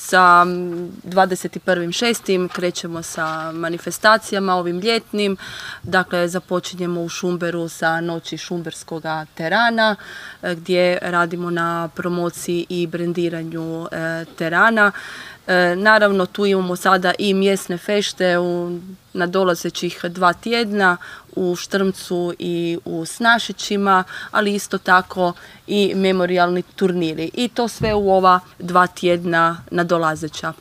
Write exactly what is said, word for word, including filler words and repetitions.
Sa dvadeset prvi šesti krećemo sa manifestacijama ovim ljetnim. Dakle, započinjemo u Šumberu sa noći šumberskog terana gdje radimo na promociji i brendiranju terana. Naravno, tu imamo sada i mjesne fešte u nadolazećih dva tjedna u Štrmcu i u Snašićima, ali isto tako i memorijalni turniri. I to sve u ova dva tjedna nadolazeća.